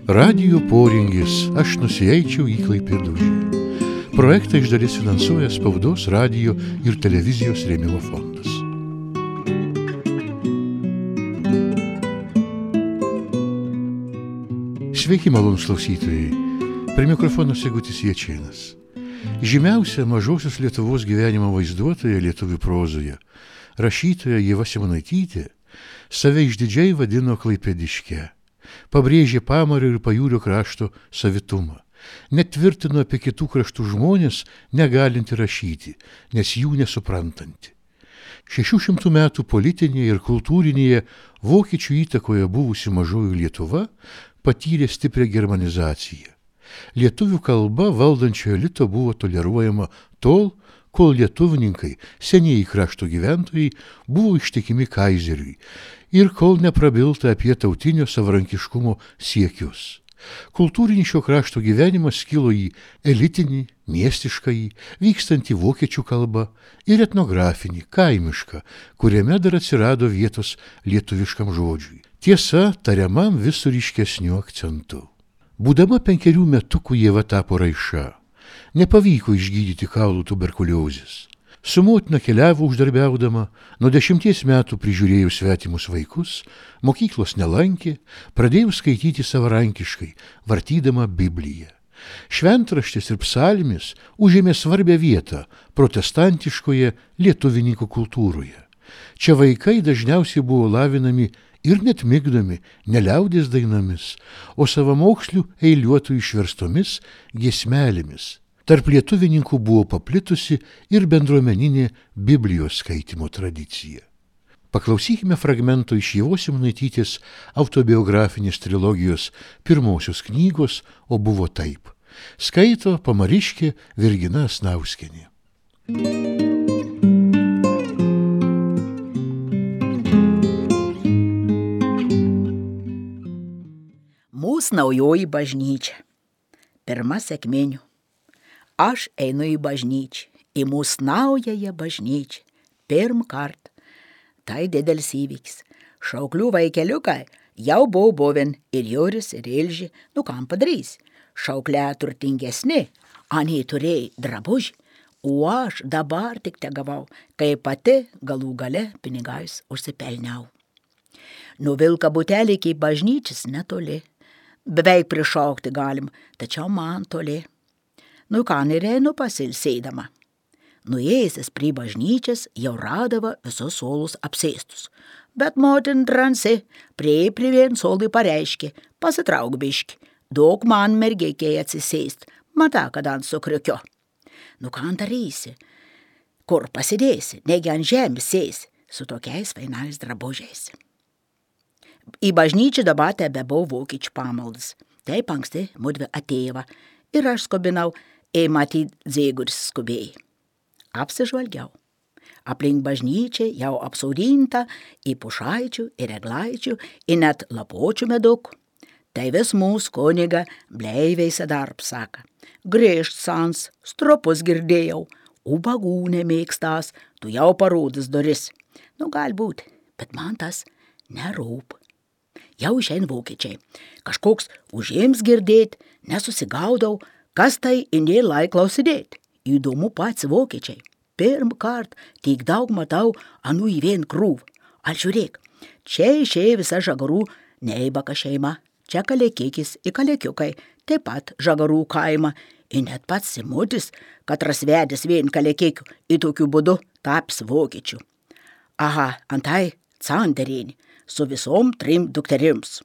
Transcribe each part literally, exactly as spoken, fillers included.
Radijo poringis, aš nusieičiau į Klaipėdužį. Projektą iš dalies finansuoja Spaudos, radijo ir televizijos rėmimo fondas. Sveiki, malonūs klausytojai. Prie mikrofono Sigutis Jačėnas. Žymiausia mažosios Lietuvos gyvenimo vaizduotoja lietuvių prozoje, rašytoja Ieva Simonaitytė, save išdidžiai vadino klaipėdiške, pabrėžė Pamario ir Pajūrio krašto savitumą, net tvirtino apie kitų kraštų žmonės negalinti rašyti, nes jų nesuprantanti. Šešių šimtų metų politinėje ir kultūrinėje vokiečių įtakoje buvusi mažoji Lietuva patyrė stiprią germanizaciją. Lietuvių kalba valdančiojo elito buvo toleruojama tol, kol lietuvininkai, senieji krašto gyventojai, buvo ištikimi kaizeriui ir kol neprabilta apie tautinio savarankiškumo siekius. Kultūrinis šio krašto gyvenimas skilo į elitinį, miestiškąjį, vykstantį vokiečių kalbą ir etnografinį, kaimišką, kuriame dar atsirado vietos lietuviškam žodžiui. Tiesa, tariamam vis su ryškesniu akcentu. Būdama penkerių metukų Ieva tapo raiša. Nepavyko išgydyti kaulų tuberkuliozės. Su motina keliavo uždarbiaudama, nuo dešimties metų prižiūrėjo svetimus vaikus, mokyklos nelankė, pradėjo skaityti savarankiškai, vartydama Bibliją. Šventraštis ir psalmis užėmė svarbią vietą protestantiškoje lietuvininkų kultūroje. Čia vaikai dažniausiai buvo lavinami ir net migdomi ne liaudies dainomis, o savamokslių eiliuotų išverstomis giesmelėmis. Tarp lietuvininkų buvo paplitusi ir bendruomeninė Biblijos skaitymo tradicija. Paklausykime fragmento iš Ievos Simonaitytės autobiografinės trilogijos pirmosios knygos O buvo taip. Skaito pamariškė Virgina Asnauskienė. Mūsų naujoji bažnyčia. Pirma sekminių. Aš einu į bažnyčią, į mūsų naująją bažnyčią. Pirm kart. Tai didelis įvykis. Šauklių vaikeliukai jau buvo buvę ir Juris, ir Ilži, nu kam padarys. Šauklė turtingesni, anie turėjai drabužį, o aš dabar tik te gavau, kai pati galų gale pinigais užsipelniau. Nuvilka butelį iki bažnyčias netoli. Beveik prišaukti galim, tačiau man toli. Nu ką nereinu pasilsėdama. Nuėjęs prie bažnyčias jau radava visus suolus apsėstus. Bet motin dransi prie prie vien suolui pareiškė, pasitrauk biški, daug man mergeikiai atsisėst, mata, kad ant sukriukio. Nu ką darysi? Kur pasidėsi, negi ant žemės sėsi, su tokiais fainais drabužiais. Į bažnyčią dabar tebe buvo vokiečių pamaldas. Taip anksti mudvi atėjo ir aš skubinau, ei matyt Zėguris skubėjai. Apsižvalgiau. Aplink bažnyčią jau apsaudinta į pušaičių ir eglaičių, į net lapočių medukų. Tai vis mūsų kuniga bleiveis darb saka. Grįžt sans, stropus girdėjau, ubagų nemėgstas, tu jau parodys duris. Nu galbūt, bet man tas nerūp. Jau išein vokiečiai. Kažkoks užėms girdėt, nesusigaudau, kas tai indė lai klausidėt. Įdomu pats vokiečiai. Pirm kart tik daug matau anų į vien krūv. Al žiūrėk, čia išėjo visa žagarų neibaka šeima. Čia kalėkikis ir kalėkiukai, taip pat žagarų kaima. Ir net pats Simutis, katras vedęs vien kalėkikių, į tokiu būdu taps vokiečių. Aha, antai Canderinį. Su visom trim dukterims.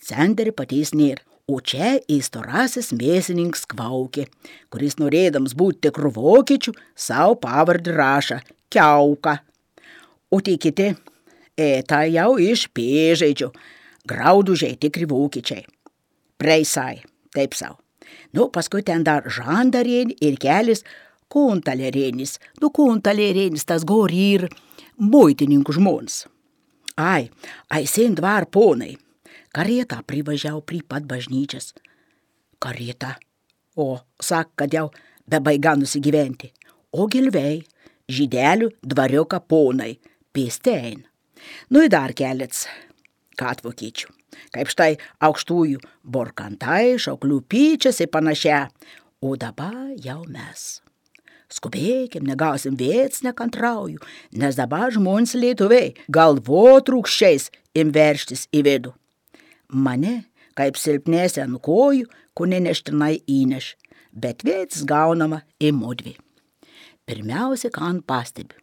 Cenderį paties nėr, o čia įstorasis mėsininkas Kvaukė, kuris norėdams būti tikrų vokiečių, savo pavardį rašą Kiauka. O tie kiti, e, tai jau iš Pėžaidžių, graudužiai tikri vokiečiai. Preisai, taip sau. Nu, paskui ten dar Žandarėnį ir kelis Kuntalerėnis. Nu, Kuntalerėnis tas gori ir muitininkų žmonas. Ai, aisien dvar ponai. Karietą privažiau prie pat bažnyčias. Karietą. O, sak, kad jau bebaiga nusigyventi. O gilvei, žydelių dvariuką ponai, pėstein. Nu, ir dar kelets. gat vokiečių. Kaip štai aukštųjų borkantai, šauklių pyčias ir panašia. O dabar jau mes. Skubėkim, negausim vėts nekantrauju, nes dabar žmonės lietuviai galvotrūkščiais im verštis į vidų. Mane, kaip silpnėsi ant kojų, kuni neštinai įneš, bet vėts gaunama į mudvi. Pirmiausia, ką pastebiu.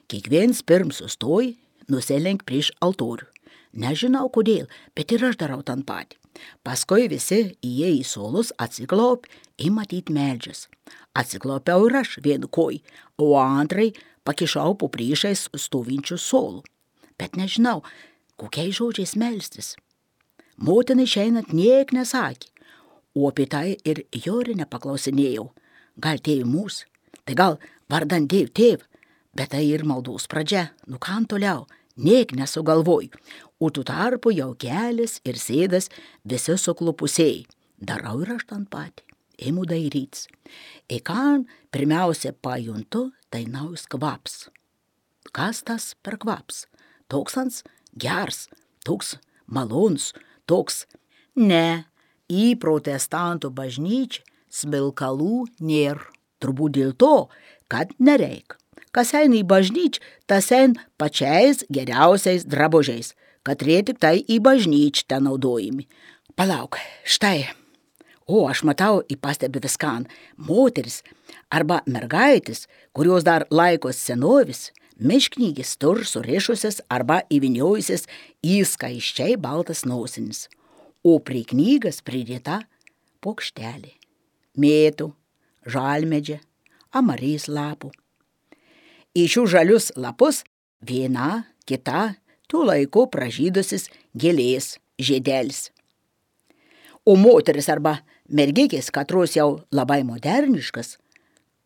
Kiekviens pirm sustoji, nusilenk prieš altorių. Nežinau kodėl, bet ir aš darau tan patį. Paskui visi įėję į solus atsiklaup į matyt meldžias. Atsiklaupiau ir aš vienu koj, o antrai pakišau po priešais stovinčių solų. Bet nežinau, kokiais žodžiais melstis. Motinai išeinant niek nesakė, o apie tai ir Jori nepaklausinėjau. Gal tėvi mūs, tai gal vardan dėv tėv, bet tai ir maldos pradžia, nu kam toliau, niek nesugalvoju. O tu tarpu jau kelias ir sėdas visi suklupusiai. Darau ir aš tan patį, ėmu dairytis. Į ką pirmiausia pajuntu, tai naujas kvaps. Kas tas per kvaps? Toks ans gers, toks malons, toks. Ne, į protestantų bažnyčią smilkalų nėr. Turbūt dėl to, kad nereik. Kas eina į bažnyčią, tas eina pačiais geriausiais drabužiais, kad jie tik tai į bažnyčią ten naudojami. Palauk, štai. O, aš matau, į pastebi viskan, moteris arba mergaitis, kurios dar laikos senovis, mišknygis tur surišusias arba įviniojusias į skaiščiai baltas nosinis, o prie knygas pridėta pokštelė, mėtų, žalmedžia, amarys lapų. Į šių žalius lapus viena, kita, tų laikų pražydusis gėlės žiedelis. O moteris arba mergikės, katros jau labai moderniškas,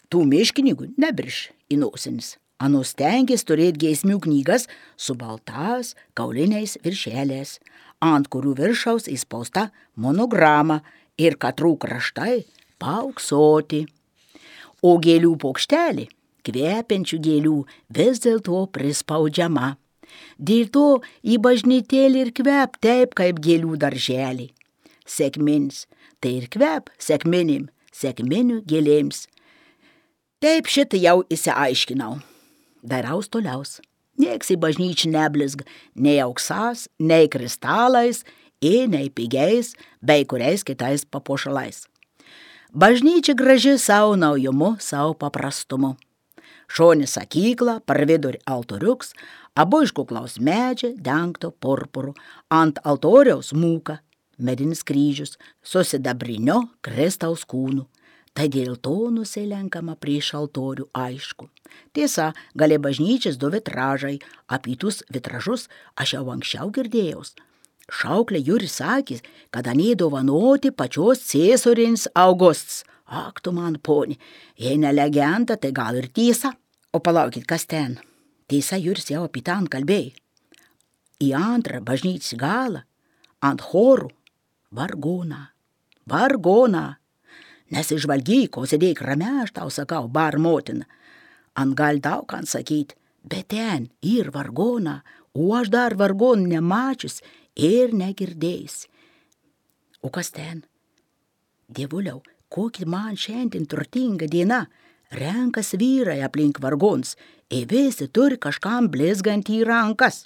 tų miškininkų nebriš į nosinis. Anus tenkės turėt giesmių knygas su baltas kauliniais viršelės, ant kurių viršaus įspausta monograma ir katrų kraštai pauksoti. O gėlių pokštelė, kvepiančių gėlių, vis dėlto prispaudžiama. Dėl to į bažnytėlį ir kvep taip, kaip gėlių darželį. Sekminis, tai ir kvep sekminim, sekminių gėlėms. Taip šitą jau įsiaiškinau. Daraus toliaus. Nieks į bažnyčią neblizg, nei auksas, nei kristalais, ir nei pigiais, bei kuriais kitais papuošalais. Bažnyčia graži savo naujumu, savo paprastumu. Šonis sakykla, per vidurį altoriuks, abu iš kuklaus medžio dengto purpuru, ant altoriaus mūka, medinis kryžius, su sidabrinio Kristaus kūnu. Tai dėl to nusilenkama prieš altorių aišku. Tiesa, galia bažnyčias du vitražai, apie tus vitražus aš jau anksčiau girdėjaus. Šauklė Juris sakys, kad anie dovanoti pačios Cėsorinis Augusts. Ak, tu man poni, jei ne legenda, tai gal ir tiesa. O palaukit, kas ten? Tiesa, Juris jau apie ten kalbėjo. Į antrą bažnyčios galą, ant chorų, vargoną, vargoną. Nesižvalgyk, ko sėdėk rame, aš tau sakau, bar motina. Ant gal daug ant sakyt, bet ten ir vargoną, o aš dar vargonų nemačius ir negirdėjus. O kas ten? Dievuliau, kokia man šiandien turtinga diena. Renkas vyrai aplink vargons, ir visi turi kažkam blizgant į rankas.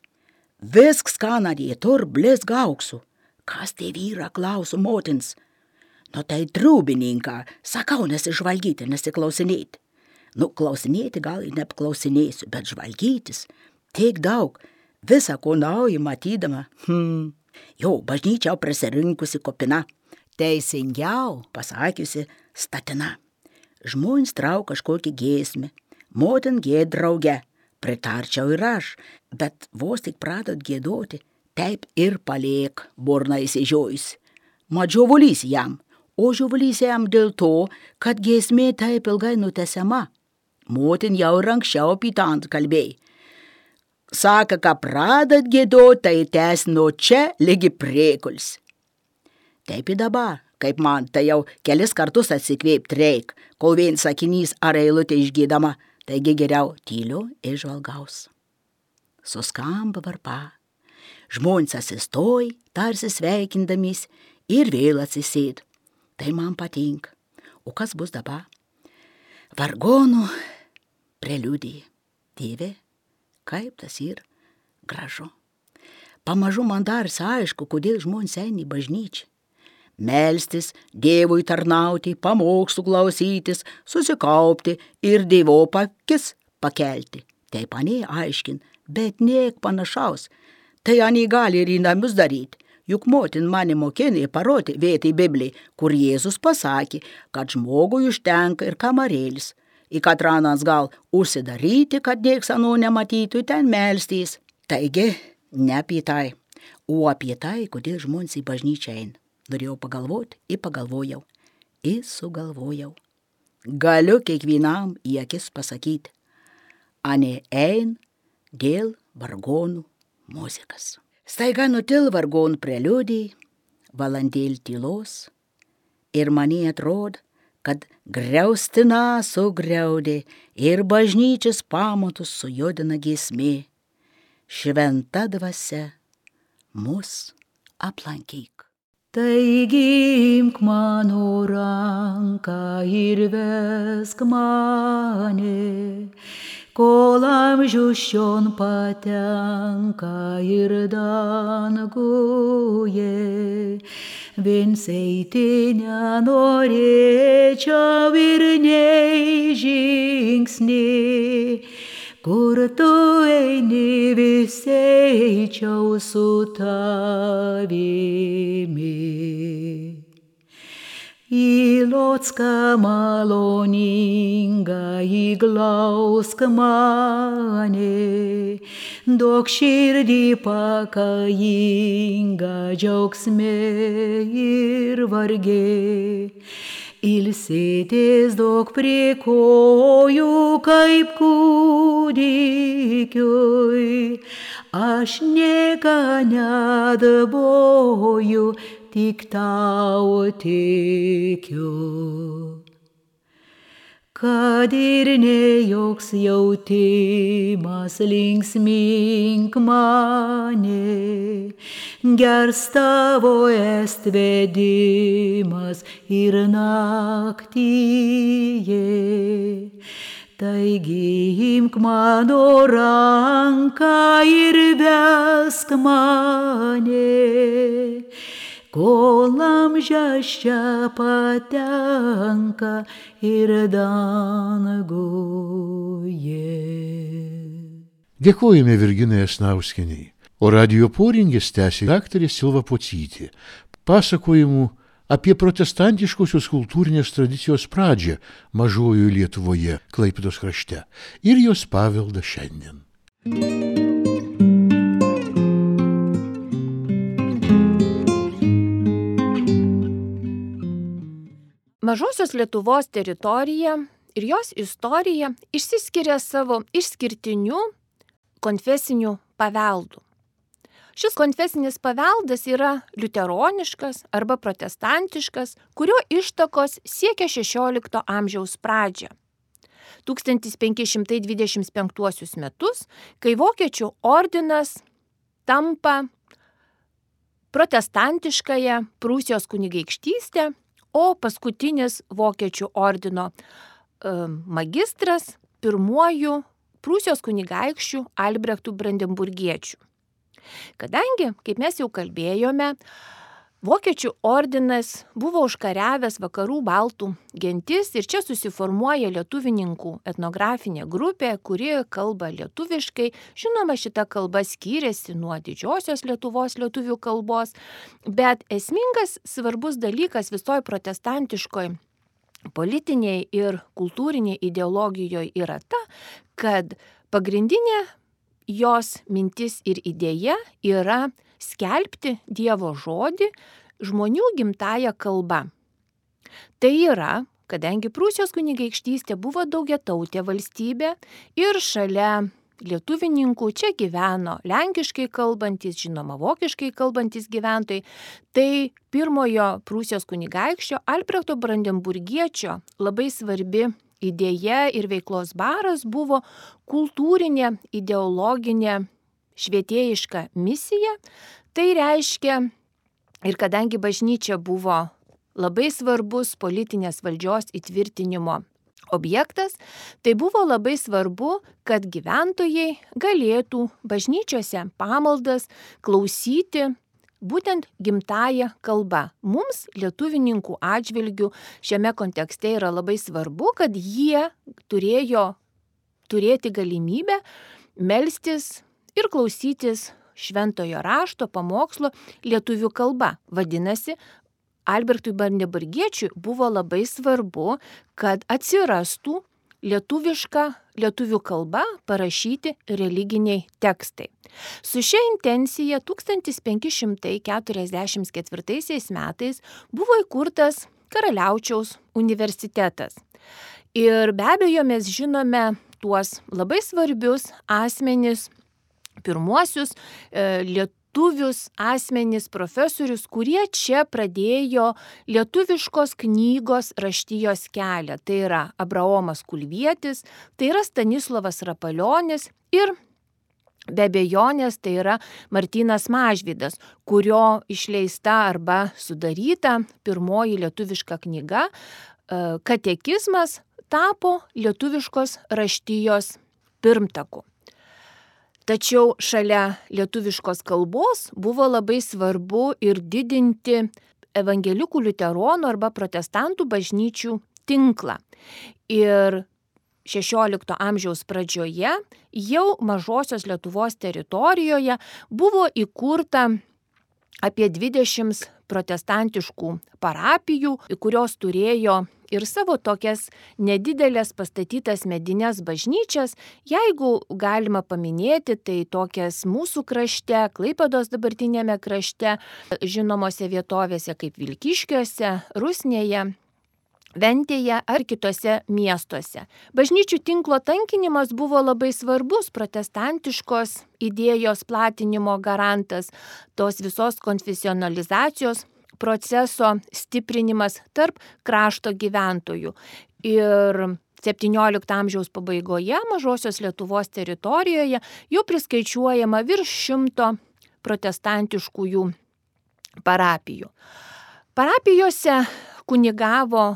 Visks, ką nadie tur blizga auksu. Kas tie vyra, klausu motins? Nu tai trūbininką, sakau, nesižvalgyti, nesiklausinėti. Nu, klausinėti gal ir neapklausinėsiu, bet žvalgytis tiek daug, visą ko nauji matydama. Hmm. Jau bažnyčiau prisirinkusi kopina, teisingiau pasakiusi statina. Žmonės trau kažkokį giesmę, motin gied drauge, pritarčiau ir aš, bet vos tik pradot giedoti, taip ir paliek burna įsižiojus. Mat žiovulys jam. O žiovulys jam dėl to, kad giesmė taip ilgai nutesiama. Motin jau ir anksčiau pitant kalbėjai. Saka, ką pradat giedot, tai tes nuo čia lygi priekuls. Taip ir dabar, kaip man, tai jau kelis kartus atsikvėpt reik, kol vien sakinys ar eilutė išgydama, taigi geriau tyliu ir žvalgaus. Suskamba varpa. Žmonės atsistoj, tarsi sveikindamis, ir vėl atsisėdo. Tai man patinka. O kas bus dabar? Vargonų preliudija. Dieve, kaip tas yra gražu. Pamažu man darsi aišku, kodėl žmonės eina į bažnyčią. Melstis, Dievui tarnauti, pamokslų klausytis, susikaupti ir Dievo akis pakelti. Taip anie aiškin, bet niek panašaus. Tai anie gali ir į namus daryti. Juk motin mane mokinė parodė vietą į Bibliją, kur Jėzus pasakė, kad žmogui užtenka ir kamarėlis. Į katranas gal užsidaryti, kad nieks ano nematytų, ten melstis. Taigi, ne apie tai, o apie tai, kodėl žmonės į bažnyčią eina. Norėjau pagalvoti, ir pagalvojau, ir sugalvojau. Galiu kiekvienam į akis pasakyti, ane ein dėl vargonų muzikas. Staiga nutil vargonų preliudijai, valandėlį tylos, ir man atrodo, kad griaustina sugriaudė ir bažnyčios pamatus sujudina giesmė. Šventa dvasia mus aplankyk. Taigi imk mano ranką ir vesk mane, kol amžius šion patenka ir danguje. Viens eiti nenorėčiau ir nei žingsnį, kur tu eini, vis eičiau su tavimi. Į locką maloningą įglausk mane, duok širdį pakajingą džiaugsme ir varge. Ilsėtis duok prie kojų kaip kūdikiui, aš nieka nedaboju, tik tau tikiu. Kad ir ne joks jautimas linksmink mane, gers tavo est vedimas ir naktyje. Taigi imk mano ranką ir vesk mane, kol amžius čia patenka ir danguje. Dėkojame Virginai Asnauskienei, o radijo poringis tęsė daktarė Silva Pocytė, pasakojimų apie protestantiškosios kultūrinės tradicijos pradžią mažojoje Lietuvoje, Klaipėdos krašte, ir jos paveldą šiandien. Mažosios Lietuvos teritorija ir jos istorija išsiskiria savo išskirtiniu konfesiniu paveldu. Šis konfesinis paveldas yra liuteroniškas arba protestantiškas, kurio ištakos siekia šešiolikto amžiaus pradžią. tūkstantis penki šimtai dvidešimt penktuosius metus, kai Vokiečių ordinas tampa protestantiškąją Prūsijos kunigaikštystę, o paskutinis Vokiečių ordino e, magistras pirmuoju Prūsijos kunigaikščių Albrechtų Brandenburgiečių. Kadangi, kaip mes jau kalbėjome, Vokiečių ordinas buvo užkariavęs vakarų baltų gentis ir čia susiformuoja lietuvininkų etnografinė grupė, kuri kalba lietuviškai. Žinoma, šita kalba skyrėsi nuo didžiosios Lietuvos lietuvių kalbos, bet esmingas svarbus dalykas visoje protestantiškoje politinėje ir kultūrinėje ideologijoje yra ta, kad pagrindinė jos mintis ir idėja yra skelbti Dievo žodį žmonių gimtąja kalba. Tai yra, kadangi Prūsijos kunigaikštystė buvo daugiatautė valstybė ir šalia lietuvininkų čia gyveno lenkiškai kalbantis, žinoma, vokiškai kalbantis gyventojai, tai pirmojo Prūsijos kunigaikščio Albrechto Brandenburgiečio labai svarbi idėja ir veiklos baras buvo kultūrinė, ideologinė švietėjišką misiją. Tai reiškia, ir kadangi bažnyčia buvo labai svarbus politinės valdžios įtvirtinimo objektas, tai buvo labai svarbu, kad gyventojai galėtų bažnyčiose pamaldas klausyti būtent gimtąją kalbą. Mums, lietuvininkų atžvilgių, šiame kontekste yra labai svarbu, kad jie turėjo turėti galimybę melstis ir klausytis šventojo rašto pamokslo lietuvių kalba. Vadinasi, Albertui Bandeburgiečiui buvo labai svarbu, kad atsirastų lietuviška lietuvių kalba parašyti religiniai tekstai. Su šia intencija tūkstantis penki šimtai keturiasdešimt ketvirtaisiais metais buvo įkurtas Karaliaučiaus universitetas. Ir be abejo mes žinome tuos labai svarbius asmenis, pirmuosius e, lietuvius asmenis, profesorius, kurie čia pradėjo lietuviškos knygos raštijos kelią. Tai yra Abraomas Kulvietis, tai yra Stanislovas Rapalionis ir be abejonės tai yra Martynas Mažvydas, kurio išleista arba sudaryta pirmoji lietuviška knyga Katekizmas tapo lietuviškos raštijos pirmtaku. Tačiau šalia lietuviškos kalbos buvo labai svarbu ir didinti evangelikų liuteronų arba protestantų bažnyčių tinklą. Ir šešiolikto amžiaus pradžioje jau Mažosios Lietuvos teritorijoje buvo įkurta apie dvidešimt protestantiškų parapijų, kurios turėjo ir savo tokias nedidelės pastatytas medines bažnyčias. Jeigu galima paminėti, tai tokias mūsų krašte, Klaipėdos dabartinėme krašte, žinomose vietovėse kaip Vilkiškiuose, Rusnėje, Ventėje ar kitose miestuose. Bažnyčių tinklo tankinimas buvo labai svarbus protestantiškos idėjos platinimo garantas, tos visos konfesionalizacijos proceso stiprinimas tarp krašto gyventojų. Ir septyniolikto amžiaus pabaigoje Mažosios Lietuvos teritorijoje jau priskaičiuojama virš šimto protestantiškųjų parapijų. Parapijose kunigavo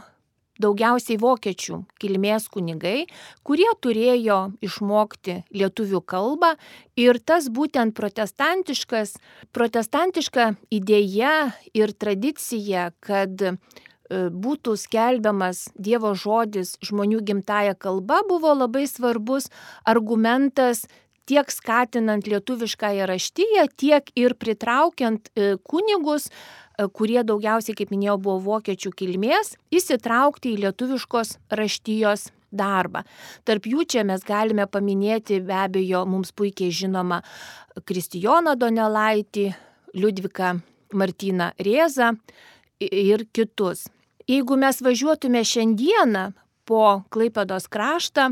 daugiausiai vokiečių kilmės kunigai, kurie turėjo išmokti lietuvių kalbą, ir tas būtent protestantiškas, protestantiška idėja ir tradicija, kad būtų skelbiamas Dievo žodis žmonių gimtąja kalba, buvo labai svarbus argumentas tiek skatinant lietuviškąją raštiją, tiek ir pritraukiant kunigus, kurie daugiausiai, kaip minėjau, buvo vokiečių kilmės, įsitraukti į lietuviškos raštijos darbą. Tarp jų čia mes galime paminėti be abejo mums puikiai žinoma Kristijoną Donelaitį, Liudviką Martyną Rėzą ir kitus. Jeigu mes važiuotume šiandieną po Klaipėdos kraštą,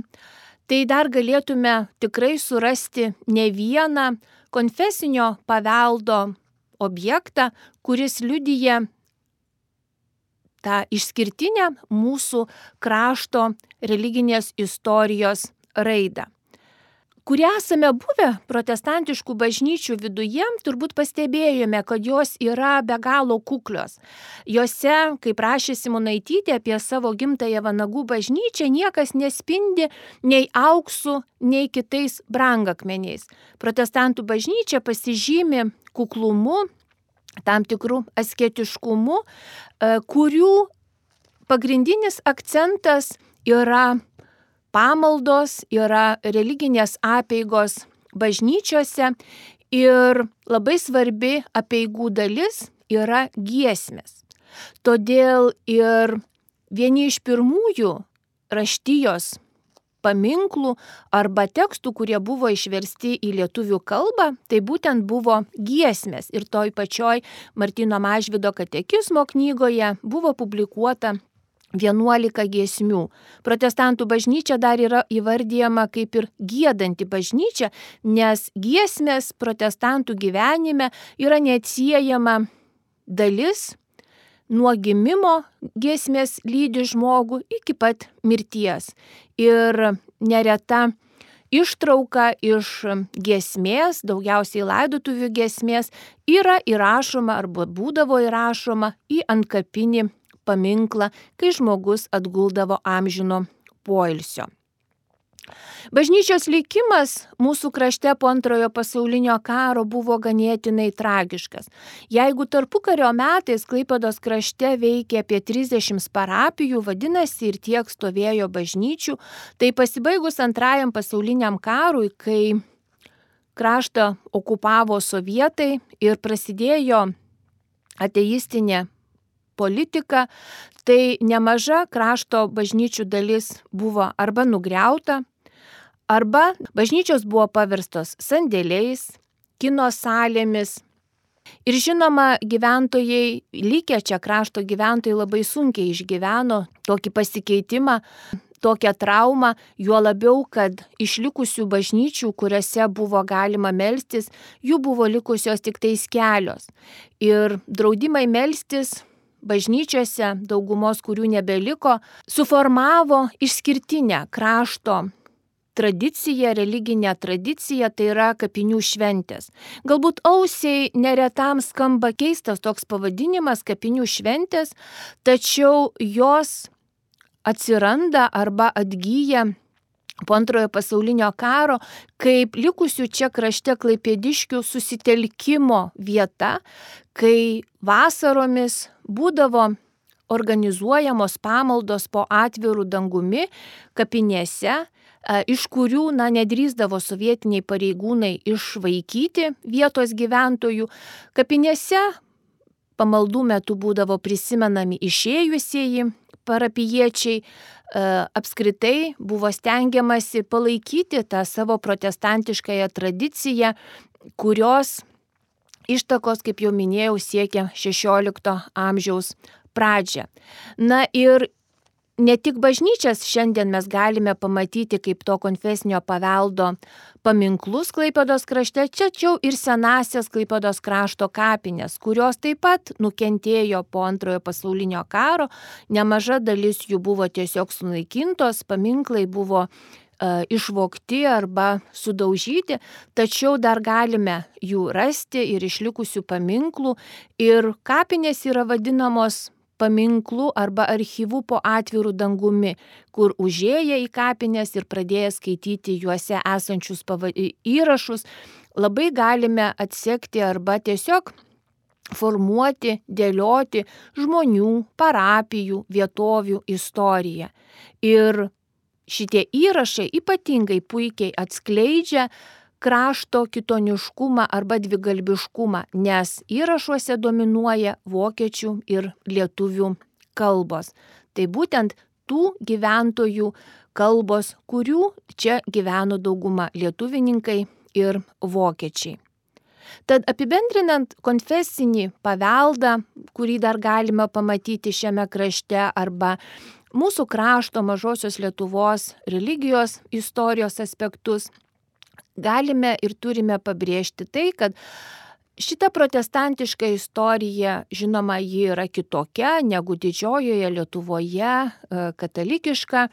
tai dar galėtume tikrai surasti ne vieną konfesinio paveldo objektą, kuris liudija tą išskirtinę mūsų krašto religinės istorijos raidą. Kurie esame buvę protestantiškų bažnyčių viduje, turbūt pastebėjome, kad jos yra be galo kuklios. Jose, kaip rašė Simonaitytė apie savo gimtąją Vanagų bažnyčią, niekas nespindi nei auksu, nei kitais brangakmeniais. Protestantų bažnyčia pasižymi kuklumu, tam tikrų asketiškumu, kurių pagrindinis akcentas yra pamaldos, yra religinės apeigos bažnyčiose ir labai svarbi apeigų dalis yra giesmės. Todėl ir vieni iš pirmųjų raštijos paminklų arba tekstų, kurie buvo išversti į lietuvių kalbą, tai būtent buvo giesmės. Ir toj pačioj Martyno Mažvydo katekizmo knygoje buvo publikuota vienuolika giesmių. Protestantų bažnyčia dar yra įvardyjama kaip ir giedanti bažnyčia, nes giesmės protestantų gyvenime yra neatsiejama dalis. Nuo gimimo giesmės lydi žmogų iki pat mirties. Ir nereta ištrauka iš giesmės, daugiausiai laidotuvių giesmės, yra įrašoma arba būdavo įrašoma į antkapinį paminklą, kai žmogus atguldavo amžino poilsio. Bažnyčios likimas mūsų krašte po antrojo pasaulinio karo buvo ganėtinai tragiškas. Jeigu tarpukario metais Klaipėdos krašte veikė apie trisdešimt parapijų, vadinasi ir tiek stovėjo bažnyčių, tai pasibaigus antrajam pasauliniam karui, kai kraštą okupavo sovietai ir prasidėjo ateistinė politika, tai nemaža krašto bažnyčių dalis buvo arba nugriauta, arba bažnyčios buvo paverstos sandėliais, kino salėmis. Ir žinoma, gyventojai, likę čia krašto gyventojai labai sunkiai išgyveno tokį pasikeitimą, tokią traumą, juo labiau, kad išlikusių bažnyčių, kuriuose buvo galima melstis, jų buvo likusios tik tais kelios. Ir draudimai melstis bažnyčiose, daugumos kurių nebeliko, suformavo išskirtinę krašto tradicija, religinė tradicija, tai yra kapinių šventės. Galbūt ausiai neretam skamba keistas toks pavadinimas kapinių šventės, tačiau jos atsiranda arba atgyja po antrojo pasaulinio karo kaip likusių čia krašte klaipėdiškių susitelkimo vieta, kai vasaromis būdavo organizuojamos pamaldos po atvirų dangumi kapinėse, iš kurių na, nedrįsdavo sovietiniai pareigūnai išvaikyti vietos gyventojų. Kapinėse pamaldų metu būdavo prisimenami išėjusieji parapijiečiai, apskritai buvo stengiamasi palaikyti tą savo protestantiškąją tradiciją, kurios ištakos, kaip jau minėjau, siekia šešiolikto amžiaus pradžią. Na ir ne tik bažnyčias šiandien mes galime pamatyti kaip to konfesinio paveldo paminklus Klaipėdos krašte, tačiau ir senasias Klaipėdos krašto kapinės, kurios taip pat nukentėjo po antrojo pasaulinio karo, nemaža dalis jų buvo tiesiog sunaikintos, paminklai buvo uh, išvogti arba sudaužyti, tačiau dar galime jų rasti ir išlikusių paminklų, ir kapinės yra vadinamos paminklų arba archyvų po atvirų dangumi, kur užėję į kapines ir pradėję skaityti juose esančius pava... įrašus, labai galime atsekti arba tiesiog formuoti, dėlioti žmonių, parapijų, vietovių istoriją. Ir šitie įrašai ypatingai puikiai atskleidžia krašto kitoniškumą arba dvigalbiškumą, nes įrašuose dominuoja vokiečių ir lietuvių kalbos. Tai būtent tų gyventojų kalbos, kurių čia gyveno dauguma lietuvininkai ir vokiečiai. Tad apibendrinant konfesinį paveldą, kurį dar galima pamatyti šiame krašte, arba mūsų krašto mažosios Lietuvos religijos istorijos aspektus, galime ir turime pabrėžti tai, kad šita protestantiška istorija, žinoma, ji yra kitokia negu didžiojoje Lietuvoje katalikiška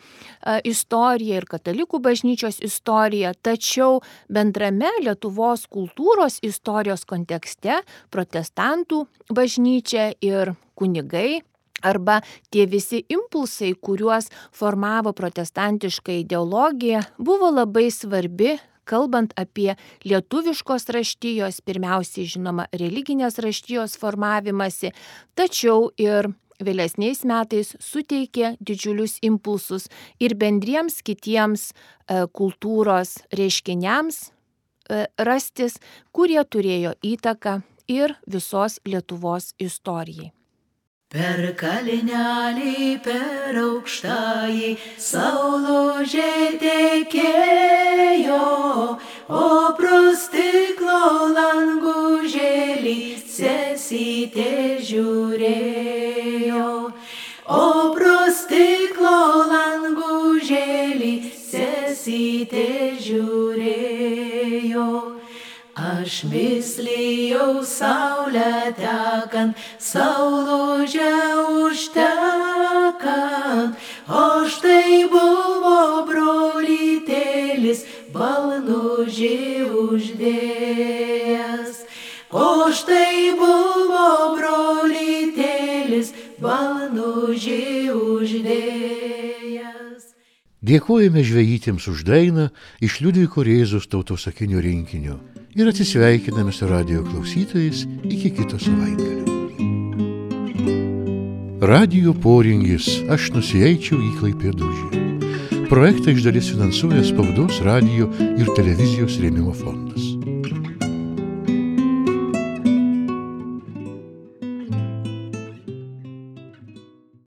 istorija ir katalikų bažnyčios istorija, tačiau bendrame Lietuvos kultūros istorijos kontekste protestantų bažnyčia ir kunigai arba tie visi impulsai, kuriuos formavo protestantiška ideologija, buvo labai svarbi, kalbant apie lietuviškos raštijos, pirmiausiai žinoma religinės raštijos formavimąsi, tačiau ir vėlesniais metais suteikė didžiulius impulsus ir bendriems kitiems kultūros reiškiniams rastis, kurie turėjo įtaką ir visos Lietuvos istorijai. Per kalnelį, per aukštąjį saulė tekėjo, o pro stiklo langužėlį sesytė žiūrėjo. O pro stiklo langužėlį sesytė žiūrėjo. Aš mislijau saulę tekant, saulūžę užtekant, o štai buvo brolytėlis, ba balnužį uždėjęs. Dėkojame žvejytėms už dainą iš Liudviko Rėzos tautosakinių rinkinio ir atsisveikiname su radijo klausytojais iki kito savaitgalio. Radijo Poringis, aš nusieičiau į Klaipėdužį. Projektą iš dalies finansuoja Spaudos, radijo ir televizijos rėmimo fondas.